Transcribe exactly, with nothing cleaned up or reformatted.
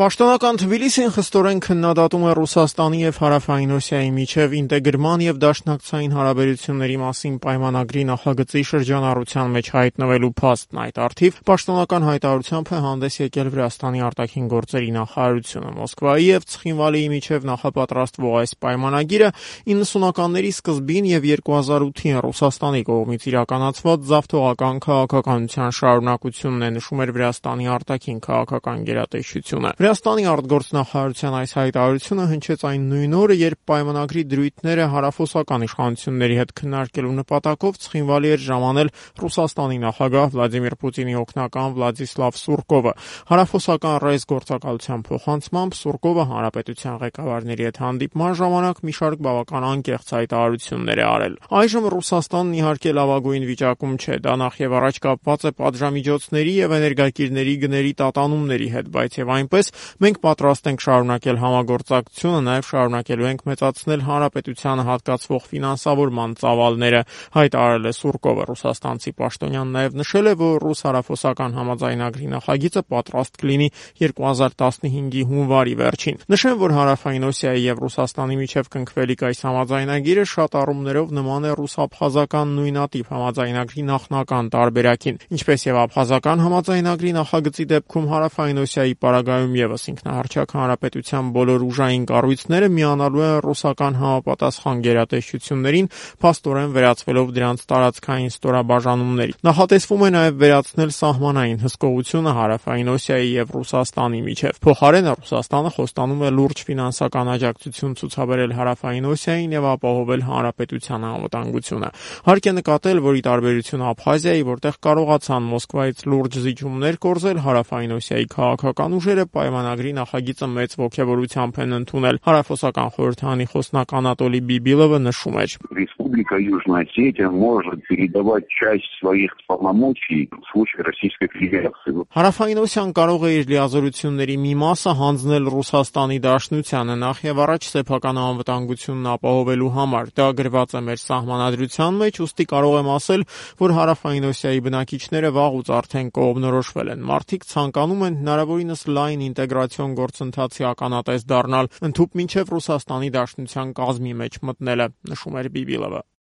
Պաշտոնական Թբիլիսին խստորեն քննադատում է Ռուսաստանի եւ Հարավային Օսիայի միջև ինտեգրման եւ դաշնակցային հարաբերությունների մասին պայմանագրի նախագծի շրջանառության մեջ հայտնվելու փաստն։ Այդ առթիվ պաշտոնական հայտարարությամբ է հանդես եկել Վրաստանի արտաքին գործերի նախարարությունը։ Մոսկվայի եւ Ցխինվալիի միջև նախապատրաստվող այս պայմանագիրը իննսունականների սկզբին եւ երկու հազար ութին Ռուսաստանի կողմից իրականացված զավթողական քաղաքականության շարունակությունն է, նշում էր Վրաստանի արտաքին քաղաքական գերատեսչությունը։ Վրաստանի արտգործնախարարության այս հայտարարությունը հնչեց այն նույն օրը, երբ պայմանագրի դրույթները հարավոսական իշխանությունների հետ քննարկելու նպատակով Ցխինվալի էր ժամանել Ռուսաստանի նախագահ Վլադիմիր Պուտինի օգնական Վլադիսլավ Սուրկովը։ Հարավոսական ռեյս գործակալության փոխանցմամբ Սուրկովը հանրապետության ղեկավարների հետ հանդիպման ժամանակ մի շարք բավական անկեղծ հայտարարություններ է արել։ Այժմ Ռուսաստանն իհարկե լավագույն վիճակում չէ, դա նախևառաջ կապված է պատժամիջոցների եւ էներգակիրների գների տատանումների հետ, բայց եւ այնպես մենք պատրաստ ենք շարունակել համագործակցությունը, նաև շարունակելու ենք մեծացնել հանրապետությանը հատկացվող ֆինանսավորման ծավալները, հայտարարել է Սուրկովը։ Ռուսաստանցի պաշտոնյան նաև նշել է, որ ռուս-հարավոսական համաձայնագրի նախագիծը պատրաստ կլինի երկու հազար տասնհինգի հունվարի վերջին։ Նշեմ, որ Հարավային Օսիայի եւ Ռուսաստանի միջև կնքվելիք այս համաձայնագիրը շատ առումներով նման է ռուս-աբխազական նույնատիպ համաձայնագրի նախնական տարբերակին, ինչպես եւ աբխազական համաձայնագրի նախագծի դեպքում Հարավային Օսիայի պարագայում ևս ինքնահռչակ հանրապետության բոլոր ուժային կառույցները միանալու են ռուսական համապատասխան գերատեսչություններին, փաստորեն վերածվելով դրանց տարածքային ստորաբաժանումների։ Նախատեսվում է նաև վերացնել սահմանային հսկողությունը Հարավային Օսիայի եւ Ռուսաստանի միջև։ Փոխարենը Ռուսաստանը խոստանում է լուրջ ֆինանսական աջակցություն ցուցաբերել Հարավային Օսիային եւ ապահովել հանրապետության անվտանգությունը։ Հարկ է նկատել, որ ի տարբերություն Աբխազիայի, որտեղ կարողացան Մոսկվայից լուրջ զիջումներ կորզել, Հարավային Օսիայի քաղաքական ուժերը պայմանագրի նախագիծը մեծ ոգևորությամբ են ընդունել։ Հարավոսական խորհրդարանի խոսնակ Անատոլի Բիբիլովը նշում էր. Республика Южная Осетия может передавать часть своих полномочий в случае Российской Федерации. Հարավային Օսիան կարող է իր լիազորությունների մի մասը հանձնել Ռուսաստանի Դաշնությանը, նախ եւ առաջ սեփական անվտանգությունն ապահովելու համար։ Դա գրված է մեր սահմանադրության մեջ, ուստի կարող եմ ասել, որ Հարավային Օսիայի բնակիչները վաղուց արդեն կողմնորոշվել են։ Մարդիկ ցանկանում են հնարավորինս լայն ինտեգրացիոն գործընթացի ականատես դառնալ, ընդհուպ մինչև Ռուսաստանի Դաշնության կազմի մեջ մտնելը, նշում էր Բիբիլովը։